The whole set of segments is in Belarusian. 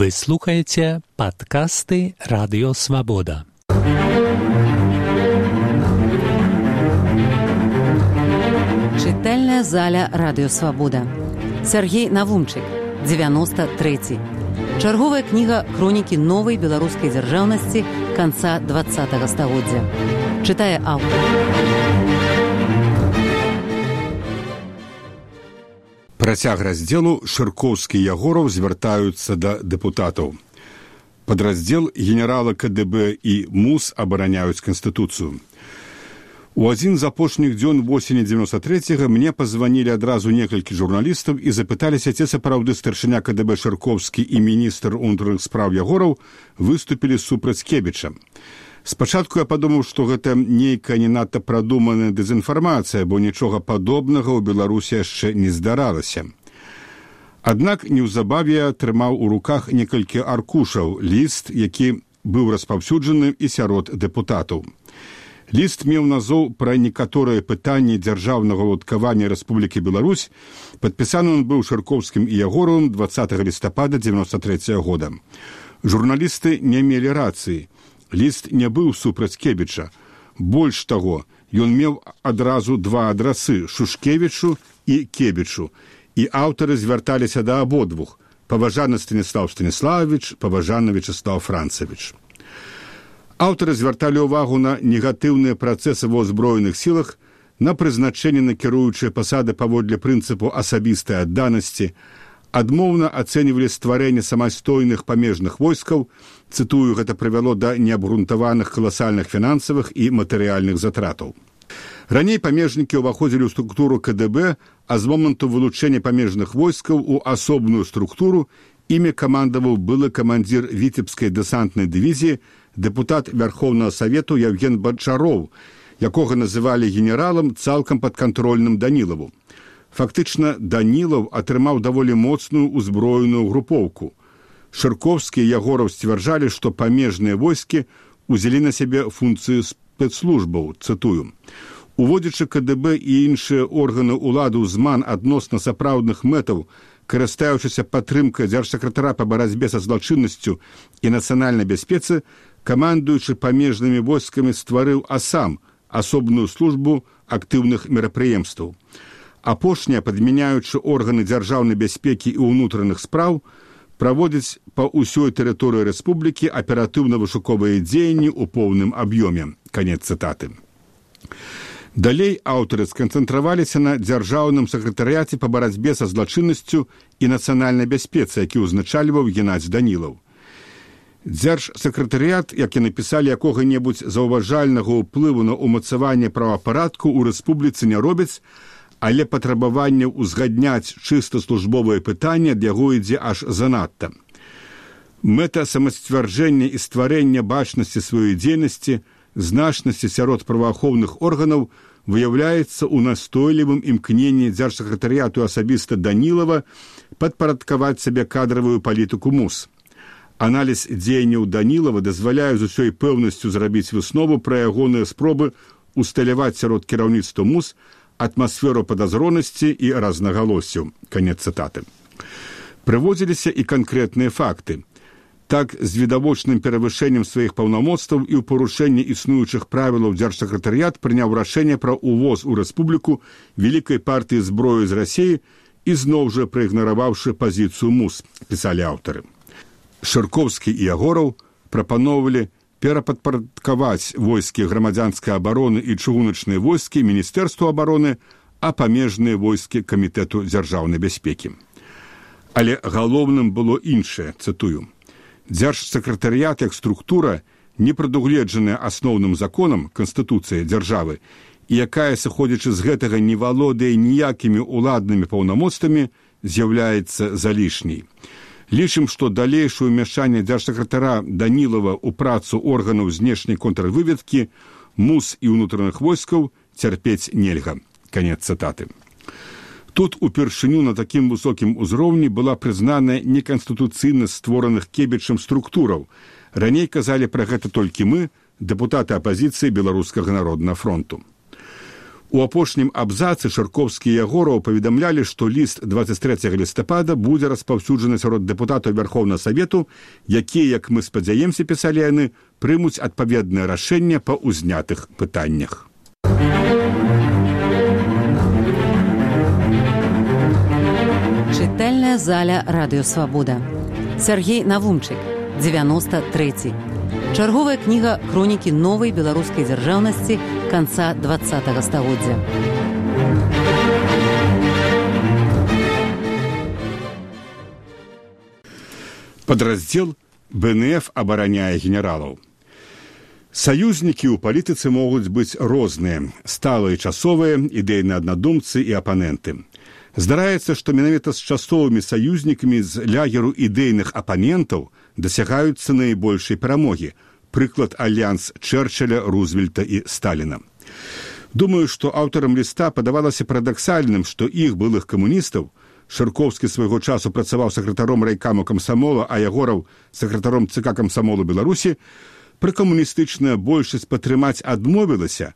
Вы слухаете подкасты «Радио Свобода». Чытальная заля «Радио Свобода». Сергей Навумчык, 93. Чарговая кніга хронікі новай беларускай дзяржаўнасці канца 20-го стагоддзя. Чытае аўтар. Працяг раздзелу Шыркоўскі і Ягораў звяртаюцца да дэпутатаў. Падраздзел генерала КДБ і МУС абараняюць Канстытуцыю. У адзін з апошніх дзён восені 93-го мне пазванілі адразу некалькі журналістаў і запыталіся, ці сапраўды старшыня КДБ Шыркоўскі і міністр унутраных спраў Ягораў выступілі супраць Кебіча. Спачатку я падумаў, што гэта нейкая не надта прадуманая дэзінфармацыя, бо нічога падобнага ў Беларусі яшчэ не здаралася. Аднак неўзабаве я атрымаў у руках некалькі аркушаў, ліст, які быў распаўсюджаны і сярод дэпутатаў. Ліст меў назоў пра некаторыя пытанні дзяржаўнага ўладкавання Рэспублікі Беларусь, падпісаны ён быў Шыркоўскім і Ягоравым 20 лістапада 93 года. Журналісты не мелі рацыі. Ліст не быў супраць Кебіча. Больш таго, ён меў адразу два адрасы – Шушкевічу і Кебічу. І аўтары звярталіся да абодвух – паважаны Станіслаў Станіславович, паважаны Вячеслав Францевич. Аўтары звярталі ўвагу на негатыўныя працэсы ва ўзброеных сілах, на прызначэнне на кіруючыя пасады паводле прынцыпу асабістай адданасці, адмоўна ацэньвалі стварэнне самастойных памежных войскаў, цытую, гэта прывяло да неабгрунтаваных каласальных фінансавых і матэрыяльных затратаў. Раней памежнікі ўваходзілі ў структуру КДБ, а з моманту вылучэння памежных войскаў у асобную структуру імі камандаваў былы камандзір Віцебскай дэсантнай дывізіі, дэпутат Вярхоўнага Савету Яўген Бачароў, якога называлі генералам цалкам падкантрольным Данілаву. Фактычна, Данілаў атрымаў даволі моцную ўзброеную групоўку. Шыркоўскі і Ягораў сцвярджалі, што памежныя войскі ўзялі на сябе функцыю спецслужбаў, цытую. Уводзячы КДБ і іншыя органы ўлады ў зман адносна сапраўдных мэтаў, карыстаючыся падтрымкай дзяржсакратара па барацьбе са злачыннасцю і нацыянальнай бяспецы, камандуючы памежнымі войскамі стварыў АСАМ, асобную службу актыўных мерапрыемстваў. Апошнія, падмяняючы органы дзяржаўнай бяспекі і ўнутраных спраў, праводзяць па ўсёй тэрыторыі рэспублікі аператыўна-вышуковыя дзеянні ў поўным аб'ёме. Канец цытаты. Далей аўтары сканцэнтраваліся на дзяржаўным сакратарыяце па барацьбе са злачыннасцю і нацыянальнай бяспецы, які ўзначальваў Геннадзь Данілаў. Дзяржсакратарыят, як і напісалі, якога-небудзь заўважальнага ўплыву на ўмацаванне правапарадку ў рэспубліцы не робяць, але патрабаванне ўзгадняць чыста службовае пытанне ад яго ідзе аж занадта. Мэта самасцвярджэння і стварэння бачнасці сваёй дзейнасці, значнасці сярод праваахоўных органаў выяўляецца ў настойлівым імкненні дзяржсакратарыяту асабіста Данілава падпарадкаваць сабе кадравую палітыку МУС. Аналіз дзеянняў Данілава дазваляе з усёй пэўнасцю зрабіць выснову пра ягоныя спробы усталяваць сярод кіраўніцтва МУС атмасферу падазронасці і разнагалоссяў. Канец цытаты. Прыводзіліся і канкрэтныя факты. Так, з відавочным перавышэннем сваіх паўнамоцтваў і ў парушэнні існуючых правілаў дзяржсакратарыят прыняў рашэнне пра ўвоз у рэспубліку вялікай партыі зброі з Расіі і зноў жа праігнараваўшы пазіцыю МУС, пісалі аўтары. Шыркоўскі і Ягораў прапаноўвалі перападпарадкаваць войскі грамадзянскай абароны і чыгуначныя войскі Міністэрству абароны, а памежныя войскі Камітэту дзяржаўнай бяспекі. Але галоўным было іншае, цытую. Дзяржсакратарыят як структура, не прадугледжаная асноўным законам Канстытуцыі дзяржавы, і якая, сыходзячы з гэтага, не валодае ніякімі ўладнымі паўнамоцтвамі, з'яўляецца залішняй. Лічым, што далейшае ўмяшанне дзяржсакратара Данілава ў працу органаў знешняй контрвыведкі, МУС і ўнутраных войскаў цярпець нельга. Канец цытаты. Тут упершыню на такім высокім узроўні была прызнаная неканстытуцыйна створаных Кебічам структураў. Раней казалі пра гэта толькі мы, дэпутаты апазіцыі Беларускага народнага фронту. У апошнім абзацы Шаркоўскі і Ягораў паведамлялі, што ліст 23 лістапада будзе распаўсюджаны сярод дэпутатаў Вярхоўнага Савету, якія, як мы спадзяемся, пісалі яны, прымуць адпаведнае рашэнне па ўзнятых пытаннях. Чытальная заля Радыё Свабода. Сергей Навумчык, 93. Чарговая кніга хронікі новай беларускай дзяржаўнасці канца 20-го стагоддзя. Падраздзел БНФ абараняе генералаў. Саюзнікі ў палітыцы могуць быць розныя, сталыя, часовыя, ідэйныя аднадумцы і апаненты. Здараецца, што менавіта з часовымі саюзнікамі з лягеру ідэйных апанентаў дасягаюцца найбольшай перамогі. Прыклад альянс Чэрчыля, Рузвельта і Сталіна. Думаю, што аўтарам ліста падавалася парадаксальным, што іх былых камуністаў, Шаркоўскі свайго часу працаваў сакратаром райкаму камсамола, а Ягораў сакратаром ЦК камсамолу Беларусі, пракамуністычная большасць падтрымаць адмовілася,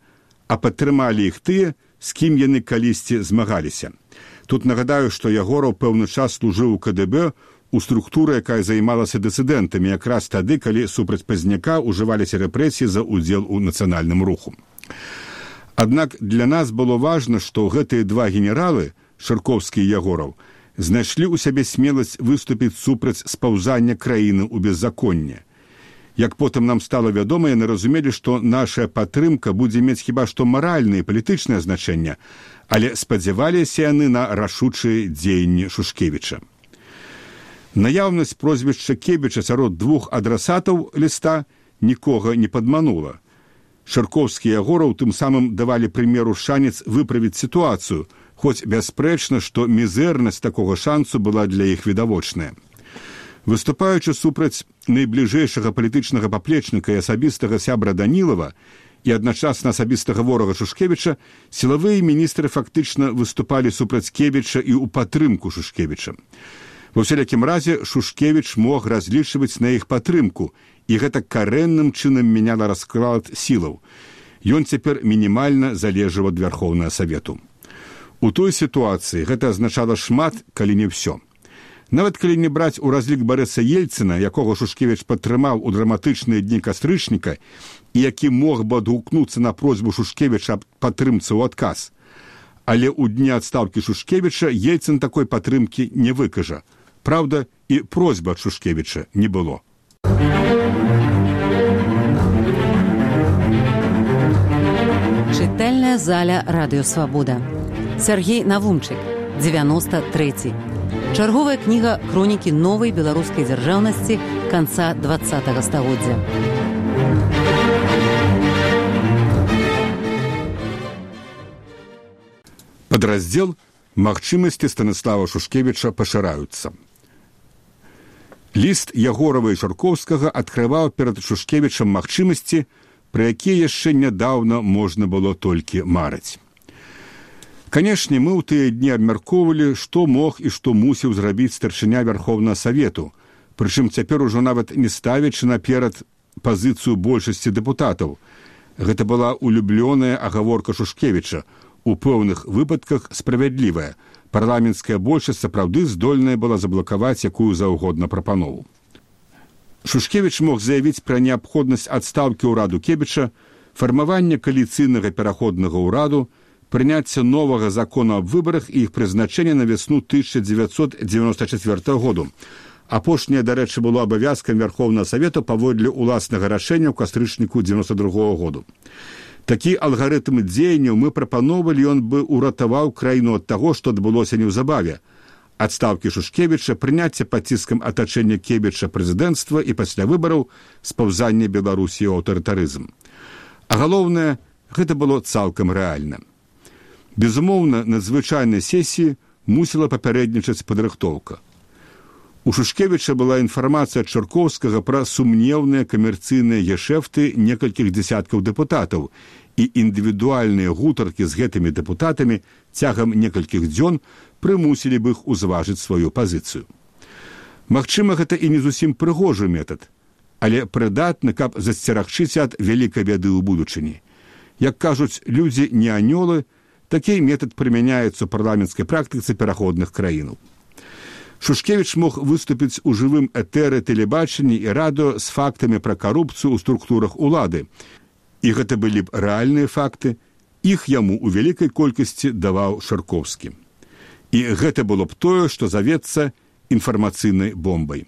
а падтрымалі іх тыя, з кім яны калісьці змагаліся. Тут нагадаю, што Ягораў пэўны час служыў у КДБ, у структуры, якая займалася дысідэнтамі, якраз тады, калі супраць Пазняка ўжываліся рэпрэсіі за ўдзел у нацыянальным руху. Аднак для нас было важна, што гэтыя два генералы, Шаркоўскі і Ягораў, знайшлі ў сябе смеласць выступіць супраць спаўзання краіны ў беззаконне. Як потым нам стала вядома, яны разумелі, што наша падтрымка будзе мець хіба што маральнае і палітычнае значэнне, але спадзяваліся яны на рашучыя дзеянні Шушкевіча. Наяўнасць прозвішча Кебіча сярод двух адрасатаў ліста нікога не падманула. Шаркоўскі і Ягораў тым самым давалі прымеру шанец выправіць сітуацыю, хоць бясспрэчна, што мізэрнасць такога шансу была для іх відавочная. Выступаючы супраць найбліжэйшага палітычнага паплечніка і асабістага сябра Данілава і адначасна асабістага ворага Шушкевіча, сілавыя міністры фактычна выступалі супраць Кебіча і ў падтрымку Шушкевіча. Ва ўсялякім разе Шушкевіч мог разлічваць на іх падтрымку, і гэта карэнным чынам мяняла расклад сілаў. Ён цяпер мінімальна залежаў ад Вярхоўнага Савету. У той сітуацыі гэта азначала шмат, калі не ўсё. Нават калі не браць у разлік Барыса Ельцына, якога Шушкевіч падтрымаў у драматычныя дні кастрычніка і які мог бы адгукнуцца на просьбу Шушкевіча аб падтрымцы ў адказ. Але ў дні адстаўкі Шушкевіча Ельцын такой падтрымкі не выкажа. Праўда, і просьбы ад Шушкевіча не было. Чытальная заля Радыё Свабода. Сергей Навумчык, 93. Чарговая кніга хронікі новай беларускай дзяржаўнасці канца 20-го стагоддзя. Падраздзел «Магчымасці Станіслава Шушкевіча пашыраюцца». Ліст Ягорава і Шаркоўскага адкрываў перад Шушкевічам магчымасці, пра якія яшчэ нядаўна можна было толькі марыць. Канешне, мы ў тыя дні абмяркоўвалі, што мог і што мусіў зрабіць старшыня Вярхоўнага Савету, прычым цяпер ужо нават не ставячы наперад пазіцыю большасці дэпутатаў. Гэта была улюблёная агаворка Шушкевіча, у пэўных выпадках справядлівая. Парламенцкая большасць сапраўды здольная была заблакаваць якую заўгодна прапанову. Шушкевіч мог заявіць пра неабходнасць адстаўкі ўраду Кебіча, фармавання кааліцыйнага пераходнага ўраду, прыняцце новага закона аб выбарах і іх прызначэнне на вясну 1994 году. Апошняе, дарэчы, было абавязкам Вярхоўнага Савету паводле ўласнага рашэння ў кастрычніку 92 году. Такі алгарытм дзеянняў мы прапановалі, ён бы уратаваў краіну ад таго, што адбылося неўзабаве. Адстаўкі Шушкевіча, прыняцце пад ціскам атачэння Кебіча прэзідэнцтва і пасля выбараў спаўзання Беларусі ў аўтарытарызм. А галоўнае, гэта было цалкам рэальна. Безумоўна, на звычайнай сесіі мусіла папярэднічаць падрыхтоўка. У Шушкевіча была інфармацыя ад Чаркоўскага пра сумнеўныя камерцыйныя гешэфты некалькіх дзясяткаў дэпутатаў, і індывідуальныя гутаркі з гэтымі дэпутатамі цягам некалькіх дзён прымусілі б іх узважыць сваю пазіцыю. Магчыма, гэта і не зусім прыгожы метад, але прыдатны, каб засцерагчыць ад вялікай бяды ў будучыні. Як кажуць, людзі не анёлы, Такі метад прымяняецца ў парламенцкай практыцы пераходных краінаў. Шушкевіч мог выступіць у жывым этэры тэлебачанні і радыё з фактамі пра карупцыю ў структурах улады. І гэта былі б рэальныя факты, іх яму ў вялікай колькасці даваў Шаркоўскі. І гэта было б тое, што завецца інфармацыйнай бомбай,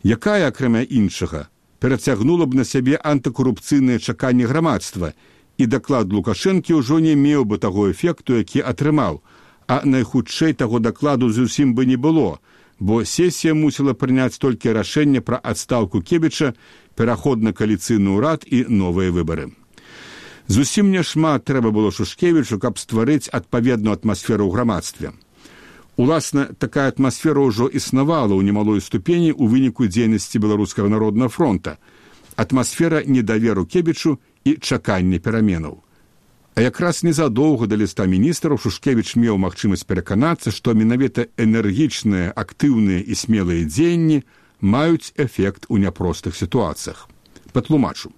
якая, акрамя іншага, перацягнула б на сябе антыкарупцыйныя чаканні грамадства, і даклад Лукашэнкі ўжо не меў бы таго эфекту, які атрымаў, а найхутчэй таго дакладу зусім бы не было, бо сесія мусіла прыняць толькі рашэнне пра адстаўку Кебіча, пераход на кааліцыйны ўрад і новыя выбары. Зусім няшмат трэба было Шушкевічу, каб стварыць адпаведную атмасферу ў грамадстве. Уласна, такая атмасфера ўжо існавала ў немалой ступені ў выніку дзейнасці Беларускага народнага фронта. Атмасфера недаверу Кебічу і чакання пераменаў. А якраз незадоўга да ліста міністраў Шушкевіч меў магчымасць пераканацца, што менавіта энергічныя, актыўныя і смелыя дзеянні маюць эфект у няпростых сітуацыях. Патлумачу.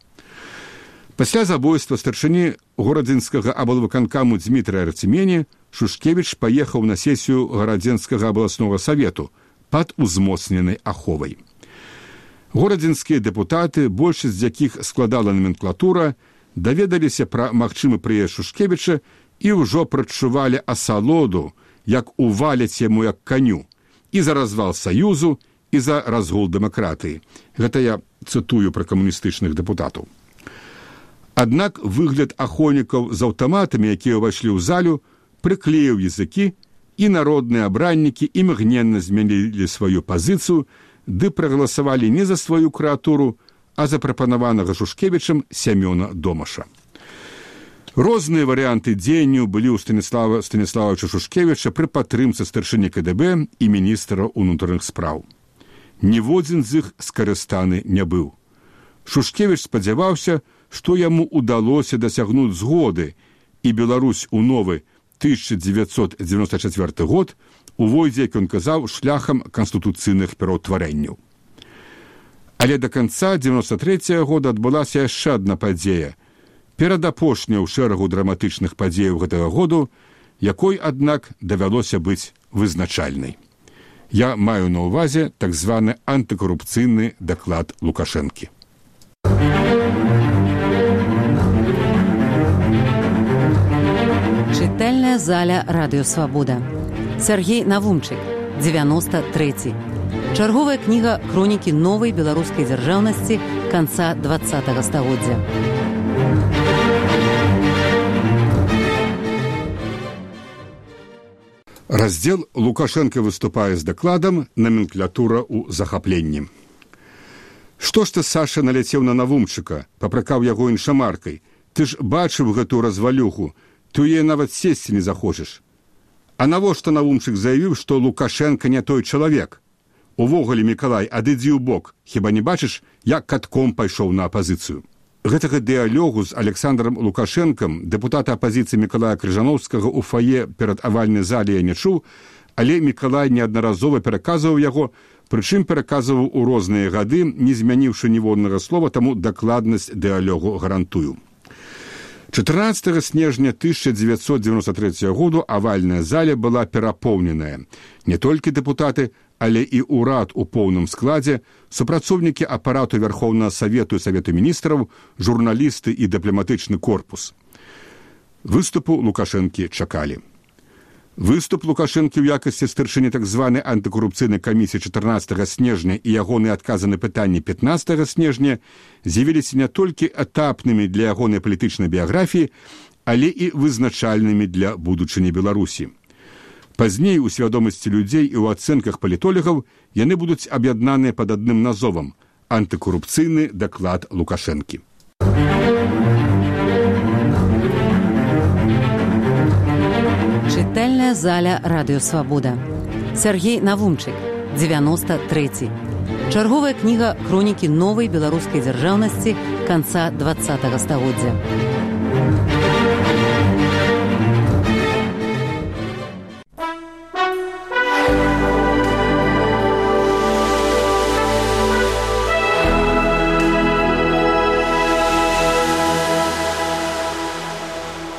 Пасля забойства старшыні горадзенскага аблвыканкаму Дзмітрыя Арцімені Шушкевіч паехаў на сесію гарадзенскага абласнога савету пад узмоцненай аховай. Горадзенскія дэпутаты, большасць з якіх складала наменклатура, даведаліся пра магчымы прыезд Шушкевіча і ўжо прачувалі асалоду, як уваляць яму як каню, і за развал саюзу, і за разгул дэмакратыі. Гэта я цытую пра камуністычных дэпутатаў. Аднак выгляд ахоўнікаў з аўтаматамі, якія ўвайшлі ў залю, прыклеіў языкі, і народныя абраннікі імгненна змянілі сваю пазіцыю, ды прагаласавалі не за сваю крэатуру, а запрапанаванага Шушкевічам Сямёна Домаша. Розныя варыянты дзеянняў былі ў Станіславовича Шушкевіча пры падтрымцы старшыні КДБ і міністра ўнутраных спраў. Ніводзін з іх скарыстаны не быў. Шушкевіч спадзяваўся, што яму ўдалося дасягнуць згоды, і Беларусь у новы 1994 год увойдзе, як ён казаў, шляхам канстытуцыйных пераўтварэнняў. Але да канца 93 года адбылася яшчэ адна падзея, перадапошняя ў шэрагу драматычных падзеяў гэтага году, якой, аднак, давялося быць вызначальнай. Я маю на ўвазе так званы антыкарупцыйны даклад Лукашэнкі. Чытальная заля Радыё Свабода. Сергей Навумчык, 93. Чарговая кніга хронікі новай беларускай дзяржаўнасці канца 20-го стагоддзя. Раздзел Лукашенко выступае з дакладам «Наменклатура ў захапленні». Што ж ты, Саша, наляцеў на Навумчыка, папракаў яго іншамаркай? Ты ж бачыў гэту развалюху, ты яе нават сесці не захочаш. А навошта Навумчык заявіў, што Лукашенко не той чалавек? Увогуле, Мікалай, адыдзі ў бок, хіба не бачыш, як катком пайшоў на апазіцыю? Гэтага дыялогу з Александром Лукашэнкам дэпутата апазіцыі Мікалая Крыжановскага ў фае перад авальнай зале я не чуў, але Мікалай неаднаразова пераказваў яго, прычым пераказваў у розныя гады, не змяніўшы ніводнага слова, таму дакладнасць дыялогу гарантую. 14 снежня 1993 году авальная заля была перапоўненая. Не толькі дэпутаты, але і ўрад у поўным складзе, супрацоўнікі апарату Верхоўнага Савету і Савету міністраў, журналісты і дыпламатычны корпус. Выступу Лукашэнкі чакалі. Выступ Лукашэнкі ў якасці старшыні так званай антыкарупцыйнай камісіі 14 снежня і ягоныя адказы на пытанні 15 снежня з'явіліся не толькі этапнымі для ягонай палітычнай біяграфіі, але і вызначальнымі для будучыні Беларусі. Пазней у свядомасці людзей і ў ацэнках палітолагаў яны будуць аб'яднаныя пад адным назовам – антыкарупцыйны даклад Лукашэнкі. Чытальная заля Радыё Свабода. Сергей Навумчык, 93. Чарговая кніга хронікі новай беларускай дзяржаўнасці канца 20-го стагоддзя.